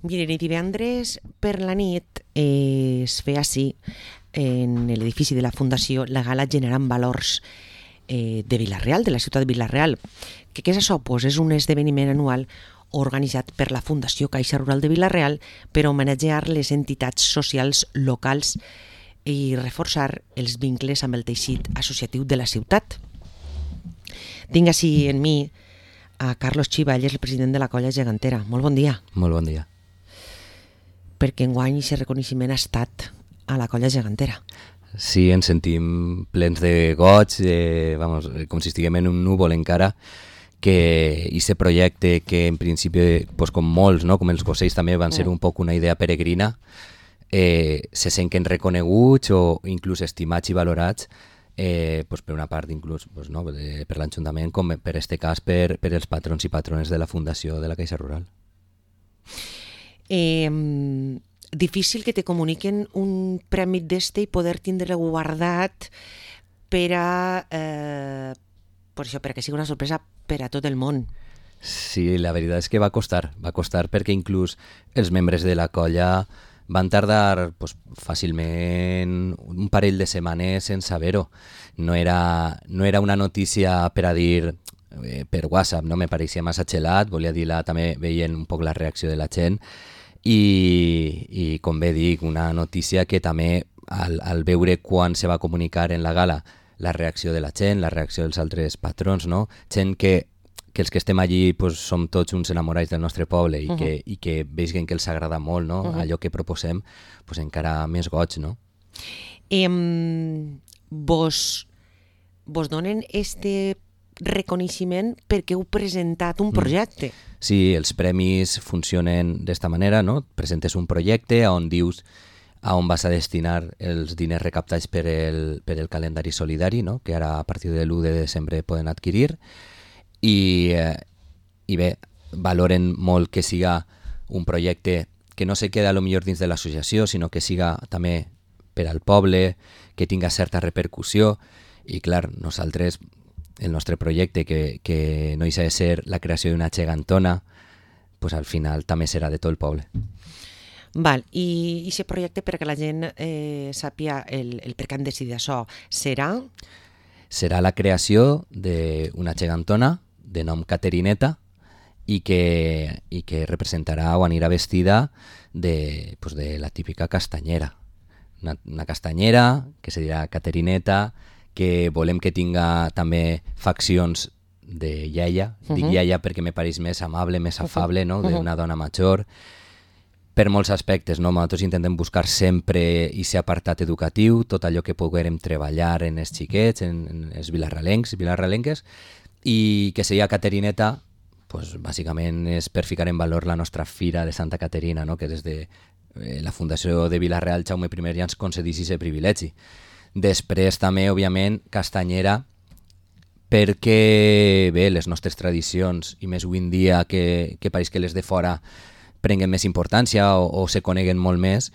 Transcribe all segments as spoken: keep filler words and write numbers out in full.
Miren, i divendres per la nit eh, es feia així en l'edifici de la Fundació la gala Generant Valors eh, de Vila-real, de la ciutat de Vila-real. Que què és això? Pues és un esdeveniment anual organitzat per la Fundació Caixa Rural de Vila-real per homenatjar les entitats socials locals i reforçar els vincles amb el teixit associatiu de la ciutat. Tinc així en mi a Carlos Chiva, ell és el president de la colla gegantera. Molt bon dia. Molt bon dia. Perquè enguany aquest reconeixement ha estat a la colla gegantera. Sí, ens sentim plens de goig, eh, vamos, com si estiguem en un núvol encara, que aquest projecte que en principi, pues, com molts, no? Com els gosells també van ser un poc una idea peregrina, eh, se senten reconeguts o inclús estimats i valorats eh, pues, per una part inclús pues, no? de, per l'Ajuntament com per este cas per, per els patrons i patrones de la Fundació de la Caixa Rural. Eh, difícil que te comuniquen un premi d'este i poder tindre guardat per a eh, per això, perquè sigui una sorpresa per a tot el món. Sí, la veritat és que va costar, va costar perquè inclús els membres de la colla van tardar pues, fàcilment un parell de setmanes en saber-ho. No era, no era una notícia per a dir eh, per WhatsApp, no me pareixia massa xelat, volia dir-la també veient un poc la reacció de la gent i, i com bé dic, una notícia que també al, al veure quan se va comunicar en la gala la reacció de la gent, la reacció dels altres patrons, no? Gent que que els que estem allí pues, som tots uns enamorats del nostre poble i, uh -huh. que, i que vegin que els agrada molt, no? uh -huh. allò que proposem, pues, encara més goig, no? Eh, vos, vos donen este reconeixement perquè heu presentat un projecte. Mm. Sí, els premis funcionen d'esta manera, no? Presentes un projecte on dius a on vas a destinar els diners recaptats per el, per el calendari solidari, no? Que ara a partir de l'u de desembre poden adquirir. I, eh, i bé, valoren molt que siga un projecte que no se queda a lo millor dins de l'associació, sinó que siga també per al poble, que tinga certa repercussió. I clar, nosaltres, el nostre projecte, que, que no deixa de ser la creació d'una gegantona, pues al final també serà de tot el poble. Val, i aquest projecte, perquè la gent eh, sàpia el, el per què han decidit això, serà? Serà la creació d'una gegantona de nom Caterineta i que, i que representarà o anirà vestida de, pues de la típica castanyera. Una, una castanyera que se dirà Caterineta, que volem que tinga també faccions de iaia. Uh -huh. Dic iaia perquè me pareix més amable, més afable, no? D'una dona major. Per molts aspectes, no? Nosaltres intentem buscar sempre aquest apartat educatiu, tot allò que puguem treballar en els xiquets, en, en els vilarralencs, vilarralenques, i que seria Caterineta, pues, bàsicament és per ficar en valor la nostra fira de Santa Caterina, no? Que des de eh, la Fundació de Vila-real Jaume I ja ens concedís aquest privilegi. Després també, òbviament, castanyera, perquè bé, les nostres tradicions, i més avui en dia que, que pareix que les de fora prenguen més importància o, o se coneguen molt més,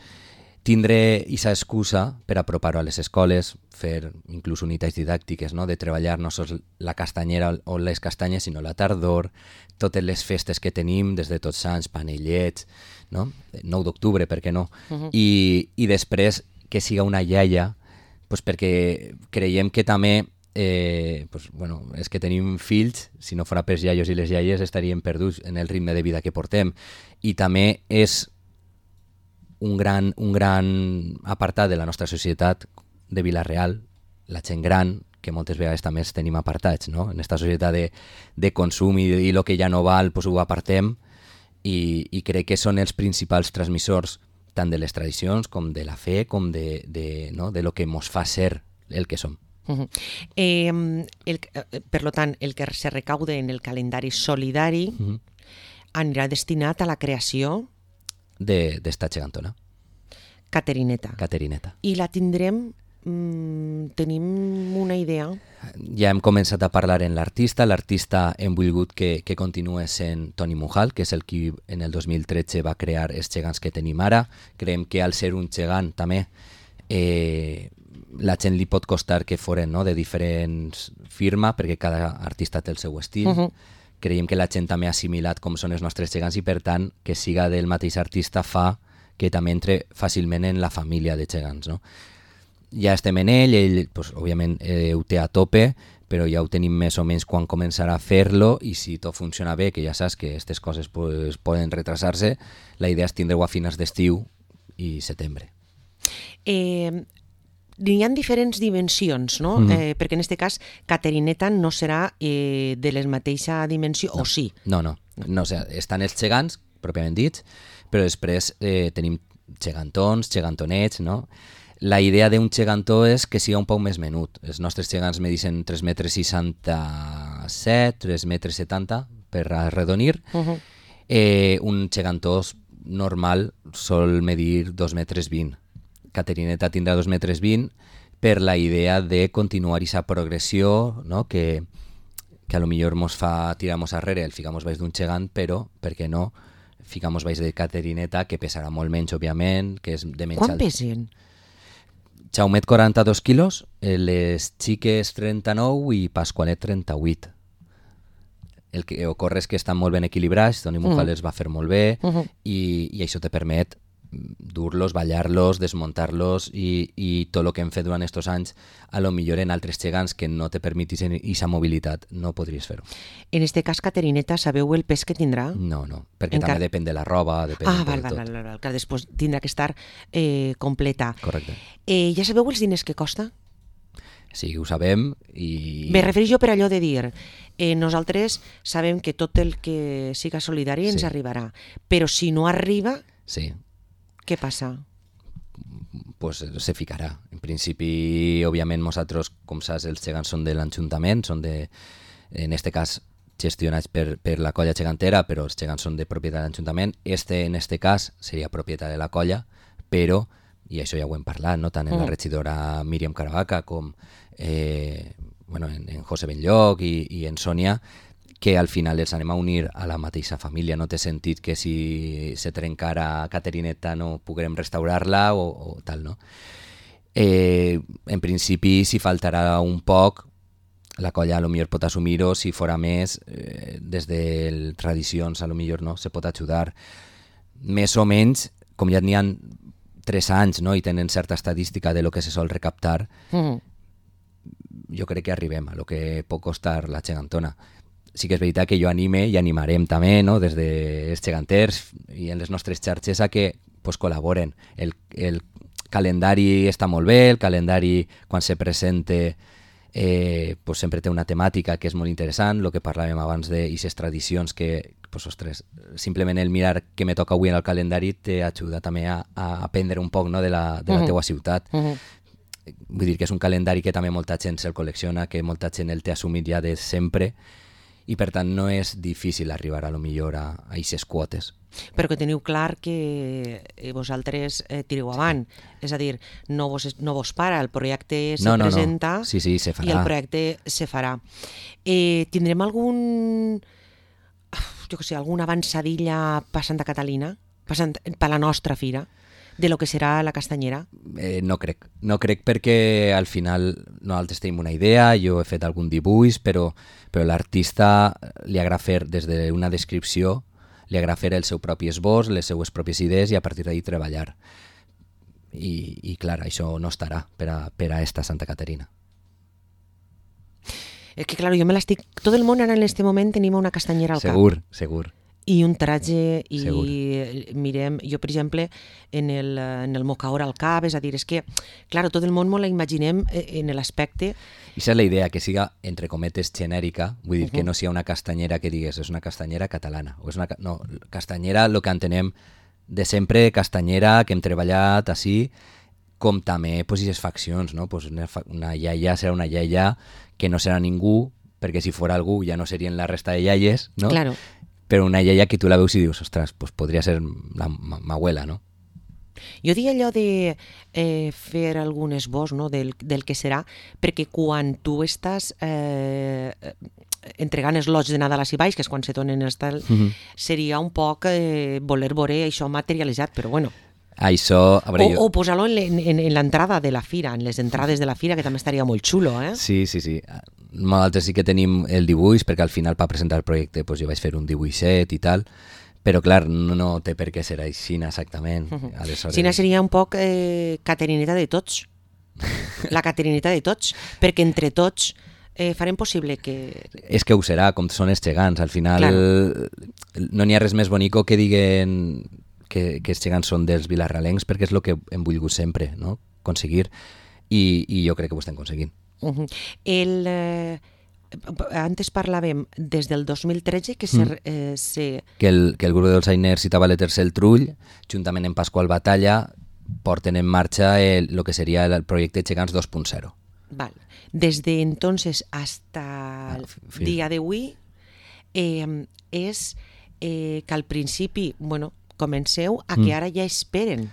tindré aquesta excusa per apropar-ho a les escoles, fer inclús unitats didàctiques, no? De treballar no sols la castanyera o les castanyes, sinó la tardor, totes les festes que tenim, des de Tots Sants, Panellets, no? nou d'octubre, per què no? Uh -huh. I, I després que siga una iaia, pues perquè creiem que també Eh, pues, bueno, és que tenim fills, si no fora pels iaios i les iaies estaríem perduts en el ritme de vida que portem, i també és un gran, un gran apartat de la nostra societat de Vila-real, la gent gran, que moltes vegades també els tenim apartats, no? En aquesta societat de, de consum i, i el que ja no val, pues ho apartem, i, i crec que són els principals transmissors tant de les tradicions com de la fe, com de, de, no? de lo que mos fa ser el que som. Uh-huh. eh, el, per lo tant, el que se recaude en el calendari solidari uh-huh. anirà destinat a la creació d'esta gegantona. Caterineta. Caterineta. I la tindrem, mm, tenim una idea? Ja hem començat a parlar en l'artista. L'artista hem volgut que, que continuï sent Toni Mujal, que és el qui en el dos mil tretze va crear els gegants que tenim ara. Creiem que al ser un gegant també eh, la gent li pot costar que foren, no? De diferents firmes, perquè cada artista té el seu estil. Uh-huh. creiem que la gent també ha assimilat com són els nostres gegants i per tant que siga del mateix artista fa que també entre fàcilment en la família de gegants, no? Ja estem en ell, ell pues, òbviament eh, ho té a tope, però ja ho tenim més o menys quan començarà a fer-lo i si tot funciona bé, que ja saps que aquestes coses pues, poden retrasar-se, la idea és tindre-ho a finals d'estiu i setembre. Eh, hi ha diferents dimensions, no? Mm-hmm. eh, perquè en aquest cas Caterineta no serà eh, de la mateixa dimensió, no. o sí? No, no, no o sigui, estan els gegants, pròpiament dits, però després eh, tenim gegantons, gegantonets, no? La idea d'un gegantó és que siga un poc més menut. Els nostres gegants medicen tres metres seixanta-set, tres metres setanta per arredonir. Uh-huh. Eh, un gegantó normal sol medir dos metres vint. Caterineta tindrà dos metres vint per la idea de continuar aquesta progressió, no? que, que a lo millor mos fa tirar-nos arrere, el ficamos baix d'un gegant, però, per què no, ficamos baix de Caterineta, que pesarà molt menys, òbviament, que és de menys Quan alt. pesen? Jaumet quaranta-dos quilos, les xiques trenta-nou i Pasqualet trenta-vuit. El que ocorre és que estan molt ben equilibrats, Toni Mujal els va fer molt bé uh-huh. i, i això te permet dur-los, ballar-los, desmuntar-los i, i tot el que hem fet durant aquests anys a lo millor en altres gegants que no te permetissin aquesta mobilitat no podries fer-ho. En este cas, Caterineta, sabeu el pes que tindrà? No, no, perquè Encar... també depèn de la roba, depèn ah, de val, tot. val, val, val, que després tindrà que estar eh, completa. Correcte. Eh, ja sabeu els diners que costa? Sí, ho sabem i... Me refereixo per allò de dir, eh, nosaltres sabem que tot el que siga solidari ens sí. arribarà, però si no arriba... Sí. Què passa? Pues se ficarà. En principi, òbviament, nosaltres, com saps, els gegants són de l'Ajuntament, són de, en este cas, gestionats per, per la colla gegantera, però els gegants són de propietat de l'Ajuntament. Este, en este cas, seria propietat de la colla, però, i això ja ho hem parlat, no? Tant en mm. la regidora Míriam Caravaca com eh, bueno, en, en José Benlloc i, i en Sònia, que al final els anem a unir a la mateixa família. No té sentit que si se trencara Caterineta no puguem restaurar-la o, o tal, no? Eh, en principi, si faltarà un poc, la colla a lo millor pot assumir-ho, si fora més, eh, des de tradicions a lo millor no, se pot ajudar. Més o menys, com ja n'hi ha tres anys, no?, i tenen certa estadística de lo que se sol recaptar, mm. jo crec que arribem a lo que pot costar la gegantona. Sí que és veritat que jo anime i animarem també, no?, des dels geganters i en les nostres xarxes a que pues, col·laboren. El, el calendari està molt bé, el calendari quan se presente eh, pues, sempre té una temàtica que és molt interessant, el que parlàvem abans d'aquestes tradicions que, pues, ostres, simplement el mirar què me toca avui en el calendari t'ajuda també a, a aprendre un poc, no?, de la, de la uh-huh. teua ciutat. Uh-huh. Vull dir que és un calendari que també molta gent se'l col·lecciona, que molta gent el té assumit ja de sempre, i per tant no és difícil arribar a lo millor a aquestes quotes. Però que teniu clar que vosaltres eh, tireu avant, sí. És a dir, no vos, no vos para, el projecte se no, no, presenta no. Sí, sí, se farà. I el projecte se farà. Eh, tindrem algun, jo què sé, alguna avançadilla passant a Catalina, passant per la nostra fira? De lo que serà la castanyera? Eh, no crec. No crec perquè al final nosaltres tenim una idea, jo he fet algun dibuix, però, però l'artista li agrada fer des d'una descripció, li agrada fer el seu propi esbós, les seues pròpies idees i a partir d'ahí treballar. I, i clar, això no estarà per a, per a esta Santa Caterina. És que clar, jo me l'estic... Tot el món ara en aquest moment tenim una castanyera al segur, cap. Segur, segur. I un traje, i Segur. mirem, jo per exemple, en el, en el mocaor al cap, és a dir, és que, clar, tot el món m'ho la imaginem en l'aspecte... I és la idea, que siga, entre cometes, genèrica, vull dir, uh-huh. que no sigui una castanyera que digues, és una castanyera catalana, o és una... No, castanyera, el que entenem de sempre, castanyera, que hem treballat així, com també, pues, i les faccions, no? Pues una, una iaia serà una iaia que no serà ningú, perquè si fora algú ja no serien la resta de iaies, no? Claro. Però una iaia que tu la veus i dius, ostres, pues podria ser la ma abuela, no? Jo dic allò de eh, fer algun esbós, no?, del, del que serà, perquè quan tu estàs eh, entregant els lots de Nadal a baix, que és quan se donen els tal, mm-hmm. seria un poc eh, voler veure això materialitzat, però bueno. Això... A veure, O, jo... o posar-lo en, en, en l'entrada de la fira, en les entrades de la fira, que també estaria molt xulo, eh? Sí, sí, sí. Nosaltres sí que tenim el dibuix, perquè al final per presentar el projecte pues, jo vaig fer un dibuixet i tal, però clar, no, no té per què ser així exactament. Uh -huh. Aleshores... Xina seria un poc eh, caterineta de tots. La caterineta de tots, perquè entre tots eh, farem possible que... És que ho serà, com són els gegants. Al final Claro. no n'hi ha res més bonico que diguen que, que els gegants són dels vilarralencs, perquè és el que hem volgut sempre, no? Aconseguir, i, i jo crec que ho estem aconseguint. Uh -huh. El... Eh... Antes parlàvem des del dos mil tretze que, se, eh, se... que, el, que el grup dels Ainers citava l'Eterce el Trull, juntament amb Pasqual Batalla, porten en marxa el, lo que seria el projecte Gegants dos punt zero. Vale. Desde entonces hasta el Ah, día de hoy eh, és eh, que al principi, bueno, comenceu a que Mm. ara ja esperen.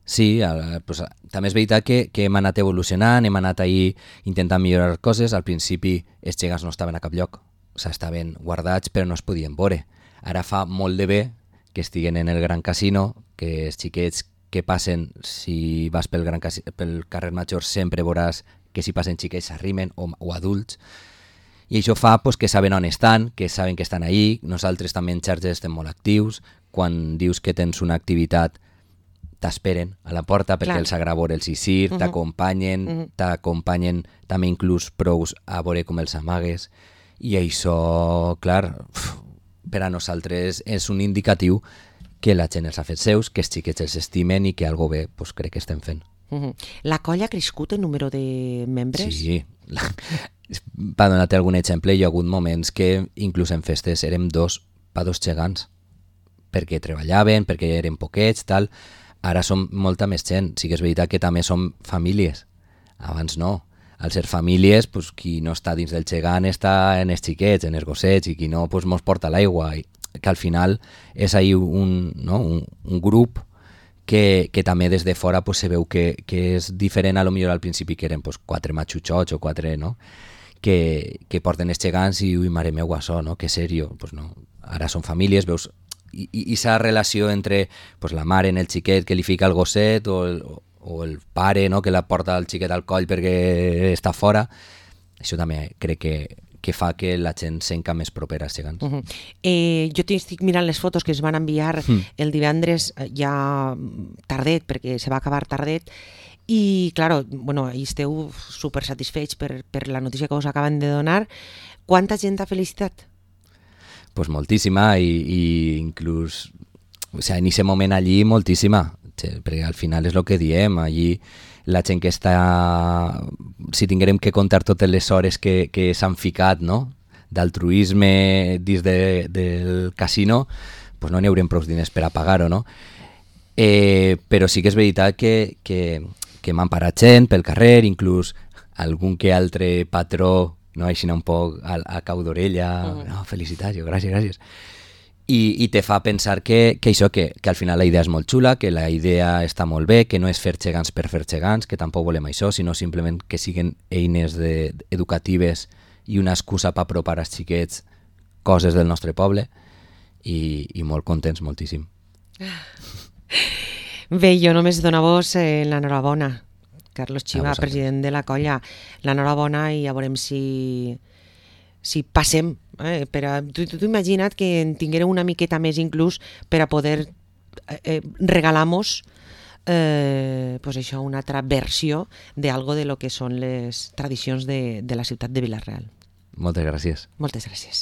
Sí, a, pues, a, també és veritat que, que hem anat evolucionant, hem anat ahir intentant millorar coses. Al principi els gegants no estaven a cap lloc, o sigui, estaven guardats però no es podien veure. Ara fa molt de bé que estiguen en el Gran Casino, que els xiquets que passen, si vas pel, gran Casi, pel carrer Major sempre veuràs que si passen xiquets s'arrimen o, o adults, i això fa pues, que saben on estan, que saben que estan ahí. Nosaltres també en xarxes estem molt actius. Quan dius que tens una activitat t'esperen a la porta perquè Clar. els agrada veure els Isir, Uh -huh. t'acompanyen, uh -huh. t'acompanyen també inclús prous a veure com els amagues, i això, clar, uf, per a nosaltres és un indicatiu que la gent els ha fet seus, que els xiquets els estimen i que algo bé pues, crec que estem fent. Uh -huh. La colla ha crescut en número de membres? Sí, la... per donar-te algun exemple, hi ha hagut moments que inclús en festes érem dos pa dos gegants, perquè treballaven, perquè eren poquets, tal. Ara som molta més gent. Sí que és veritat que també som famílies. Abans no. Al ser famílies, pues, qui no està dins del gegant està en els xiquets, en els gossets, i qui no pues, mos porta l'aigua. I que al final és ahí un, no? un, un grup que, que també des de fora pues, se veu que, que és diferent a lo millor al principi, que eren pues, quatre matxutxots o quatre, no? que, que porten els gegants i, ui, mare meu, això, no? Que sèrio. Pues no. Ara són famílies, veus... I aquesta relació entre pues, la mare en el xiquet que li fica el gosset o el, o el pare, no? Que la porta el xiquet al coll perquè està fora, això també crec que, que fa que la gent s'enca més propera als gegants. Uh -huh. eh, jo estic mirant les fotos que es van enviar mm. el divendres ja tardet, perquè se va acabar tardet, i, claro, bueno, i esteu super satisfets per, per la notícia que us acaben de donar. Quanta gent ha felicitat? Pues moltíssima, i, i inclús, o sea, en aquest moment allí moltíssima, perquè al final és el que diem, allí la gent que està, si tinguérem que contar totes les hores que, que s'han ficat, no?, d'altruisme dins de, del casino, pues no n'hi haurem prou diners per a pagar-ho, no? Eh, però sí que és veritat que, que, que m'han parat gent pel carrer, inclús algun que altre patró, no, així un poc a, a cau d'orella, uh-huh. no, felicitats, jo, gràcies, gràcies. I, i te fa pensar que, que això, que, que al final la idea és molt xula, que la idea està molt bé, que no és fer gegants per fer gegants, que tampoc volem això, sinó simplement que siguin eines de, educatives i una excusa per apropar als xiquets coses del nostre poble, i, i molt contents, moltíssim. Bé, jo només donar-vos eh, l'enhorabona, Carlos Chiva, president de la colla, l'enhorabona, i ja veurem si, si passem. Eh, per a, tu, tu imagina't que en tinguéreu una miqueta més inclús per a poder eh, regalar-nos eh, pues això, una altra versió d'algo de lo que són les tradicions de, de la ciutat de Vila-real. Moltes gràcies. Moltes gràcies.